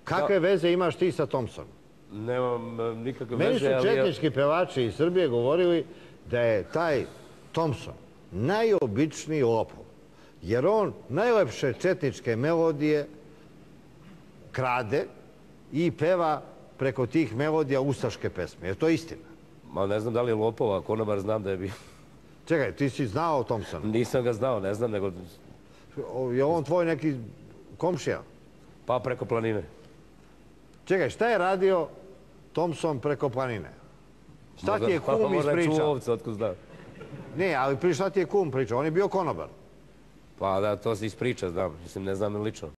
Kakve veze imaš ti sa Thompsonom? Nemam nikakve Meni su veze, ali... četnički pevači iz Srbije govorili da je taj Thompson najobičniji lopov. Jer on najlepše četničke melodije krade i peva preko tih melodija ustaške pesme. Je to istina? Ma ne znam da li je lopova, konobar znam da je bio. Čekaj, ti si znao o Thompsonu? Nisam ga znao, ne znam, nego... Je on tvoj neki komšija? Pa preko planine. Čekaj, šta je radio Thompson preko planine? Šta ti je kum Možda je čuo ispričao? ovce, otkud znam. Ne, ali šta ti je kum pričao? On je bio konobar. Pa da, to se ispriča, znam. Mislim, ne znam lično.